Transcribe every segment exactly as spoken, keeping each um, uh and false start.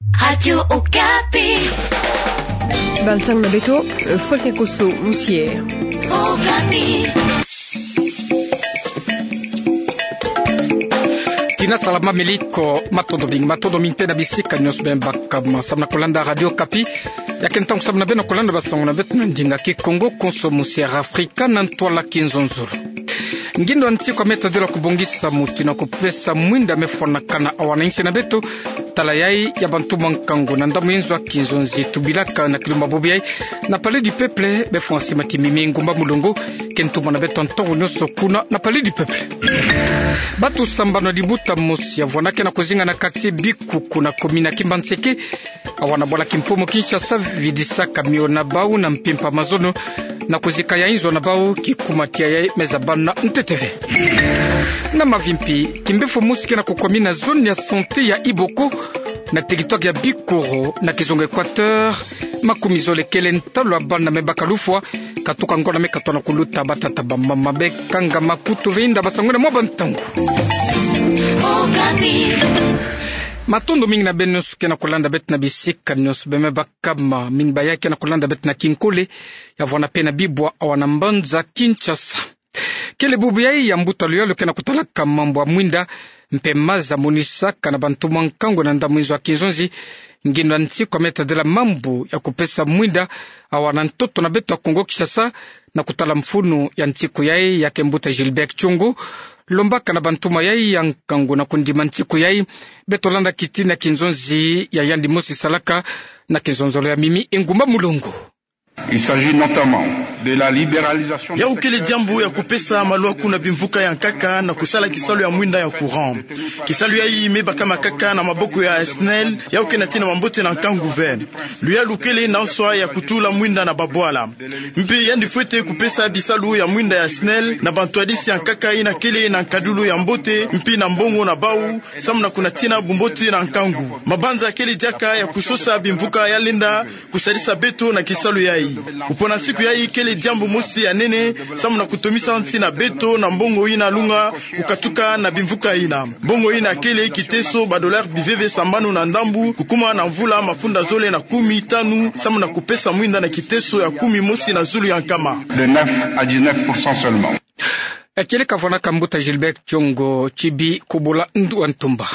Radio Okapi. Bansango na beto, Fwele Koso Musiere. Okapi. Tina salama, meliko, matondo mingi, matondo mingi mpe na bisika nyonso bima bakama, samu na kolanda Radio Okapi. Ya ke ntangu samu na beno kolanda bansango na beto na ndinga Kikongo, konso musiere Afrika na ntwala Kinzonzolo. Ngindo ya nsiku ya meta de la kubongisa muti na kupesa mwinda mefwanakana awa na nsi na beto, tala yayi ya bantumwa nkangu na ndambu ya nzo ya kinzonzi tubilaka na kilumbu bubu yayi na Palais du Peuple, befwansi matimimi ngumba mulongo, ke ntumwa na beto ntangu nyonso kuna na Palais du Peuple. Batu sambanu ya libuta mosi ya vwanaka na kuzinga na quartier Bikuku na commune ya Kimbanseke, awa na bwala kimfumu Kinshasa, vidisaka mio na bau na mpimpa mazono, na kuzika ya inzo na bau, kikuma tia yayi meza bana ntete ve. Na mavimpi, kimbefo mosi ke na kukwamina zone ya santé ya Iboko, na territoire ya Bikoro, na kizunga Equateur, makumi zole kele ntalu ya bana me baka lufwa, katuka ngonda me katona kuluta, batata bamama bekanga makutu ve, inda basangwene mwa bantangu. Matondo mingi na beno nyonso ke na kulanda beto na bisika nyonso bima bakama, mingi ba yayi ke na kulanda beto na Kinkole, ya vwana mpe na Bibwa awa na mbanza Kinshasa. Kele bubu yayi ya mbuta luyalu ke na kutalaka mambu ya mwinda mpe maza monisaka na bantumwa nkangu na ndambu ya nzo ya kinzonzi, ngindo ya nsiku ya meta de la mambu ya kupesa mwinda awa na ntoto na beto ya Kongo Kinshasa, na kutala mfunu ya nsiku yayi ya ke mbuta Gilbert Tshongo, lombaka na bantumwa yayi ya nkangu na kundima nsiku yayi, beto landa kitina kinzonzi ya yandi mosi salaka na kinzonzolo ya mimi engumba mulongo. Il s'agit notamment de la libéralisation du secteur. Yau kele diambu ya kupesa malwaku na bimvuka ya nkaka na kusala kisalu ya mwinda ya courant. Kisalu yayi me bakama kaka na maboko ya SNEL, yau ke na tina mambote na nkangu ve. Luyalu kele na nswa ya kutula mwinda na babwala. Mpe yandi fwete kupesa bisalu ya mwinda ya SNEL na bantwadisi ya nkaka yina kele na nkadulu ya mbote, mpe na mbongo na bau, samu na kunatina bumbote na nkangu. Mabanza kele diaka ya kusosa bimvuka ya lenda kusadisa beto na kisalu yayi. Kupona nsiku yayi kele diambu mosi ya nene, samu na kutomisa nsi na beto na mbongo yina lunga kukatuka na bimvuka yina. Mbongo yina kele kiteso ba dollars biveve sambanu na ndambu, kukuma na mvula mafunda zole na kumi tanu, samu na kupesa mwinda na kiteso ya kumi mosi na zulu ya nkama. De neuf à dix-neuf pour cent seulement. Kele kavwanaka mbuta Gilbert Tshongo Tshibi Kubula Ndu wa Ntumba.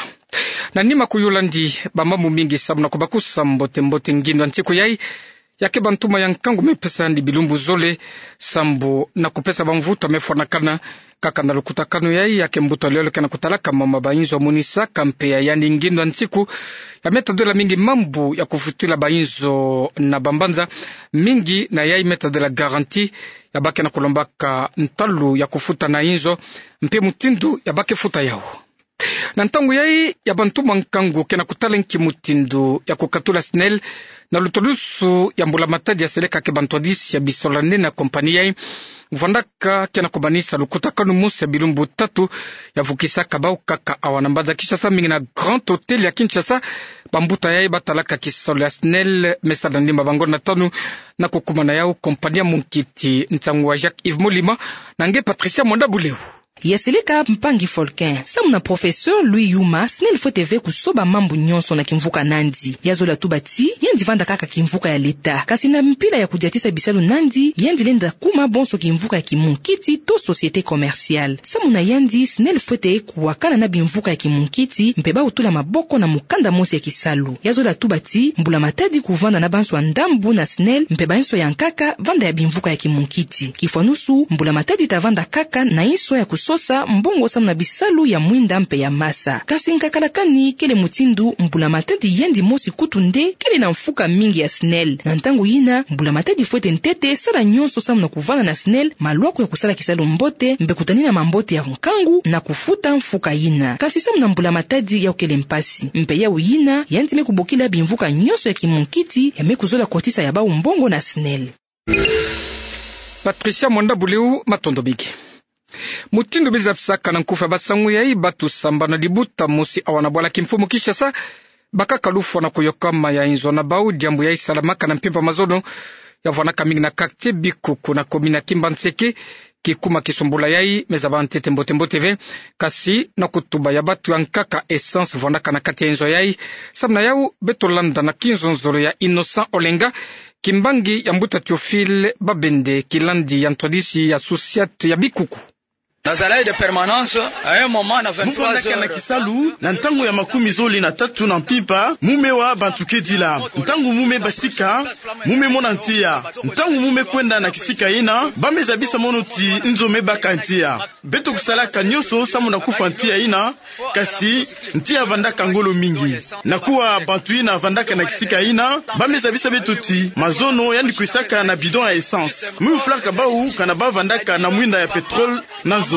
Na nima kuyula ndi bamambu mingi samu na kubakusa mbote mbote ngindo ya nsiku yayi, ya ke bantumwa ya nkangu me pesa ndi bilumbu zole, sambu na kupesa bamvutu mefwanakana, kaka na lukutakanu yayi ya ke mbuta luyalu ke na kutalaka mama ba inzo monisaka mpe ya yandi ngindo ya nsiku ya meta de la mingi mambu ya kufutila ba inzo na bambanza, mingi na yayi meta de la garantie, ya ba ke na kulombaka ntalu ya kufuta na inzo, mpe mutindu ya ba ke futa yau. Na ntangu yayi ya bantumwa nkangu ke na kutala nki mutindu ya kukatula SNEL, na lutalusu ya mbula matadi ya seleka ke bantwadisi ya bisola nene ya compagnie yayi, vwandaka ke na kumanisa lukutakanu mosi ya bilumbu tatu, ya vukisaka bau kaka awa na mbanza Kinshasa, mingi na Grand Hôtel ya Kinshasa. Bambuta yayi batalaka kisalu ya SNEL me sala ndimba ba ngonda tanu, na kukumana yau compagnie ya munkiti. Nsangu wa Jacques Yves Molima na nge Patricia Mwanda Buleu. Ya seleka mpangi Folkin. Samu na professeur Louis Yuma, SNEL fwete ve kusoba mambu nyonso na kimvuka nandi. Ya zola tuba ti yandi vanda kaka kimvuka ya leta. Kasi na mpila ya kudiatisa bisalu nandi, yandi lenda kuma bonso kimvuka ya kimunkiti to société commerciale. Samu na yandi, SNEL fwete kuwakana na bimvuka ya kimunkiti, mpe bau tula maboko na mukanda mosi ya kisalu. Ya zola tuba ti mbula matadi kuvanda na banswa ndambu na SNEL, mpe banswa ya nkaka vanda ya bimvuka ya kimunkiti. Kifwanusu, mbula matadi ta vanda kaka na nswa ya kusosa mbongo samu na bisalu ya mwinda mpe ya masa. Kasi nkakala kani kele mutindu, mbula matadi yandi mosi kutu nde kele na mfuka mingi ya SNEL. Na ntangu yina, mbula matadi fwete ntete sala nyonso samu na kuvanda na SNEL malwaku ya kusala kisalu mbote, mpe kutanina mambote ya nkangu na kufuta mfuka yina. Kasi samu na mbula matadi yau kele mpasi. Mpe yau yina, yandi me kubokila bimvuka nyonso ya kimunkiti ya me kuzola kotisa ya bau mbongo na SNEL. Patricia Mwanda Buleu, matondo mingi. Mutindu biza bisaka na nkufi ya basangu yayi, batu sambanu ya libuta mosi awa na bwala kimfumu Kinshasa bakaka lufwa na kuyokama ya inzo na bau, diambu yayi salamaka na mpimpa mazono, ya vwanaka mingi na quartier Bikuku na commune ya Kimbanseke, Kikuma kisombula yai me zaba ntete mbote mbote ve, kasi na kutuba ya batu ya nkaka essence vandaka na kati ya inzo yai. Samu na yau, beto landa na kinzonzolo ya Innocent Olenga, kimbangi ya mbuta Théophile Babende, kilandi ya ntwadisi ya Associate ya bikuku. Nazalaki de permanence, à un moment, na vingt-trois heures. Mu vandaka na kisalu na ntangu ya makumi zole na tatu na mpimpa, mu me wa bantu kedila. Ntangu mu me basika, mu me mona ntia. Ntangu mu me kwenda na kisika ina, ba me zabisa mono ti nzo me baka ntia. Beto kusalaka nyonso samu na kufwa ntia ina, kasi ntia vandaka ngolo mingi. Na kuwa bantu ina vandaka na kisika ina, ba me zabisa beto ti mazono yandi kwisaka na bidon ya essence. Mu yufulaka bau kana ba vandaka na mwinda ya pétrole na nzo.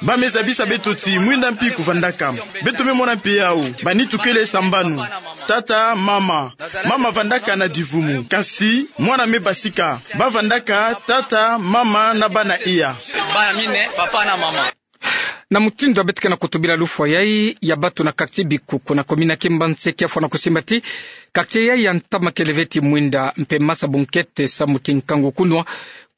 Ba me zabisa beto ti mwinda mpi kuvandaka. Beto me mona mpe yau, ba nitu kele sambanu. Tata, mama. Mama vandaka na divumu. Kasi mwana me basika, ba vandaka tata, mama na bana iya. Bana mine, papa na mama. Na mutindu ya beto ke na kutubila lufwa yai ya batu na quartier Bikuku na commune ya Kimbangu, kia fwana kusimba ti quartier yai ya ntama kele ve ti mwinda mpe masa bunkete samu ti nkangu kunwa.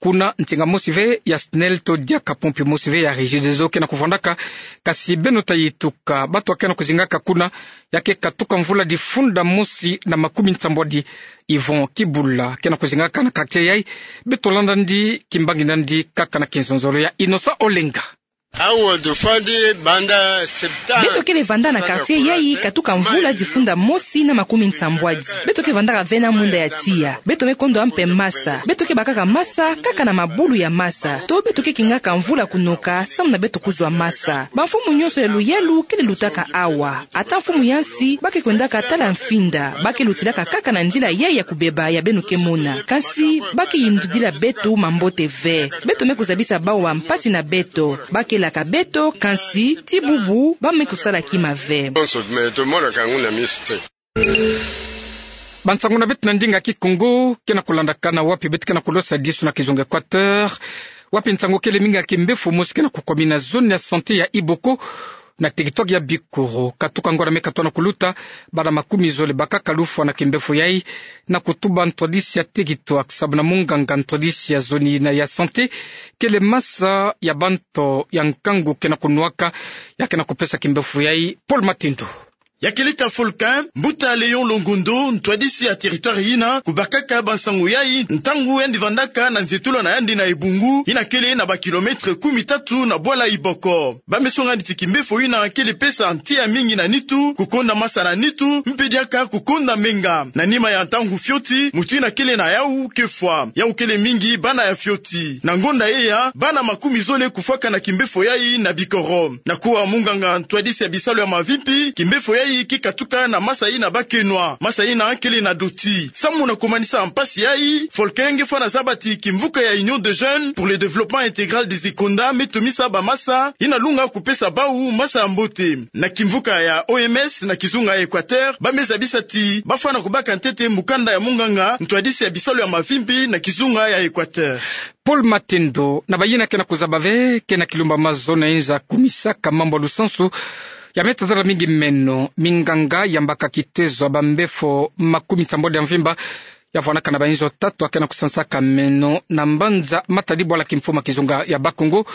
Kuna ntinga mosi ve ya SNEL to diaka pompe mosi ve ya Regideso ke na kuvandaka, kasi beno ta yituka batu ke na kuzingaka kuna, ya ke katuka mvula difunda mosi na makumi nsambwadi. Yvon Kibula ke na kuzingaka na quartier yai. Beto landa ndi, kimbangi na ndi kaka na kinzonzolo ya Innocent Olenga. Awa tufwani banda septembre. Beto kele vanda na quartier yai katuka mvula difunda mosi na makumi nsambwadi. Beto ke vandaka ve na mwinda ya tiya. Beto me kondwa mpe masa. Beto ke bakaka masa kaka na mabulu ya masa. To beto ke kingaka mvula kunoka samu na beto kuzwa masa. Bamfumu nyonso ya luyalu kele lutaka awa. Ata mfumu ya nsi, ba ke kwendaka tala mfinda, ba ke lutilaka kaka na nzila yai ya kubeba ya beno ke mona. Kasi ba ke yindudila beto mambote ve. Beto me kuzabisa bau bampasi na beto. Ba ke laka beto, kasi ti bubu ba me kusala kima ve. Bansangu na beto na ndinga Kikongo ke na kulandakana wapi beto ke na kulosa disu na kizunga Équateur, wapi nsangu kele mingi ya kimbefo mosi ke na kukomina zone ya santé ya Iboko, na territoire ya Bikoro. Katuka ngonda me katoa na kuluta, bana makumi zole bakaka lufwa na kimbefo yai, na kutuba ntwadisi ya territoire sabu na munganga ntwadisi ya zone ina ya santé, kele masa ya banto ya nkangu ke na kunwaka, ya ke na kupesa kimbefo yai. Paul Matendo. Ya kele ka Folkin, mbuta Léon Longondo, ntwadisi ya territoire ina, kubakaka bansangu yai ntangu yandi vandaka na nzietolo na yandi na Ebungu, ina kele na ba kilomètre kumi tatu na bwala Iboko. Ba me songa nde ti kimbefo ina kele pesa ntia mingi na nitu, kukonda masa na nitu, mpe diaka kukonda menga. Na nima ya ntangu fioti, mutu ina kele na yau ke fwa. Yau kele mingi bana ya fioti. Na ngonda yeya, bana makumi zole kufwaka na kimbefo yai na Bikoro. Na kuwa munganga ntwadisi ya bisalu ya mavimpi, kimbefo yai ke katuka na masa ina ba ke nwa. Masa ina kele na doti. Samu na kumanisa mpasi yai, Folkin nge fwana zaba ti kimvuka ya Union des Jeunes pour le Développement Intégral des Ikonda me tomisa bamasa ina lunga kupesa bau masa ya mbote. Na kimvuka ya O M S na kizunga ya Équateur, ba me zabisa ti ba fwana kubaka ntete mukanda ya munganga ntwadisi ya bisalu ya mavimpi na kizunga ya Équateur. Paul Matendo. Na bayina ke na kuzaba ve, ke na kilumba mazono ya inzo ya kumisaka mambu ya lusansu ya me tazala mingi meno, minganga yambaka kitezo ya bambefo makumi nsambwadi ya mvimba ya fwanaka na bainzo tatu ya ke na kusansaka meno na mbanza Matadi, bwala kimfumu ya kizunga ya Bas-Congo.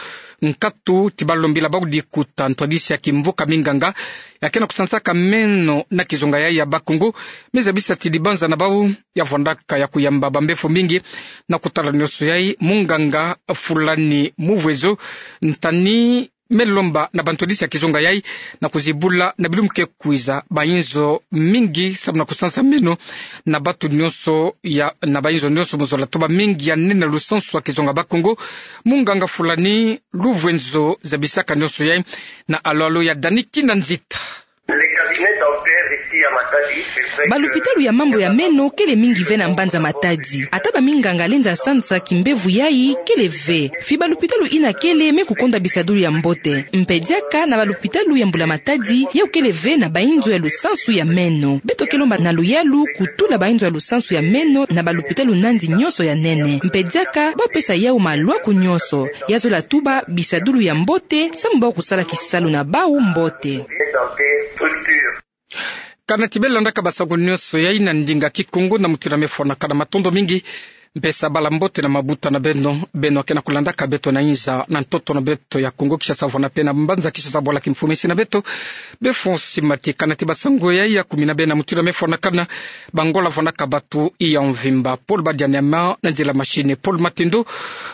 Nkatu ti balombila bau dikuta, ntwadisi ya kimvuka minganga ya ke na kusansaka meno na kizunga yai ya Bas-Congo me zabisa ti dibanza na bau ya fwandaka ya kuyamba bambefo mingi. Na kutala nyonso yai, munganga Fulani Muvwezo Ntani me lomba na bantwadisi ya kizunga yai na kuzibula na bilumbu ke kwiza bainzo mingi samu na kusansa meno na bantu nyonso ya, na bainzo nyonso mu zola tuba mingi ya nene na lusansu ya kizunga Bas-Congo. Munganga Fulani Luvwenzo zabisaka nyonso yai na alalo ya Dani Kinanzita. Balupitalu ya mambu ya meno kele mingi ve na mbanza Matadi. Ata baminganga lenda sansa kimbevo yai kele ve. Fi balupitalu ina kele me kukonda bisadulu ya mbote. Mpe diaka na balupitalu ya mbula-matadi yau kele ve na bainzo ya lusansu ya meno. Beto ke lomba na luyalu kutula bainzo ya lusansu ya meno na balupitalu nandi nyonso ya nene. Mpe diaka bau pesa yau malwaku nyonso. Ya zola tuba bisadulu ya mbote, samu bau kusala kisalu na bau mbote. Kana ti beno landaka basangu nyonso yai na ndinga Kikongo na mutindu me fwanaka, matondo mingi Mpe sabala mbote na mabuta na beno, beno akena kulandaka beto na inza na ntoto na beto ya Kongo Kinshasa, vwena pe na mbanza Kinshasa, bwala kimfumesi na beto. Be Fonsi Mati, kanati basango ya ya kumi na bena mutindu mefwanakana. Bangola vwanaka batu iya mvimba. Paul Badianyama na nzila machine, Paul Matindo,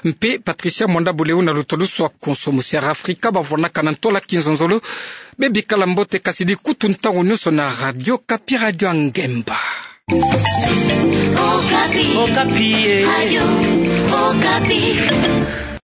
mpe Patricia Mwanda Buleu na luto lusu a konso. Musi Air Africa bavwanaka na ntola kinzonzolo. Be bikala mbote, kasi di kutu ntangu nyonso na Radio Okapi, Radio ya Ngemba. Okapi. Okapi, eh. Radio Okapi.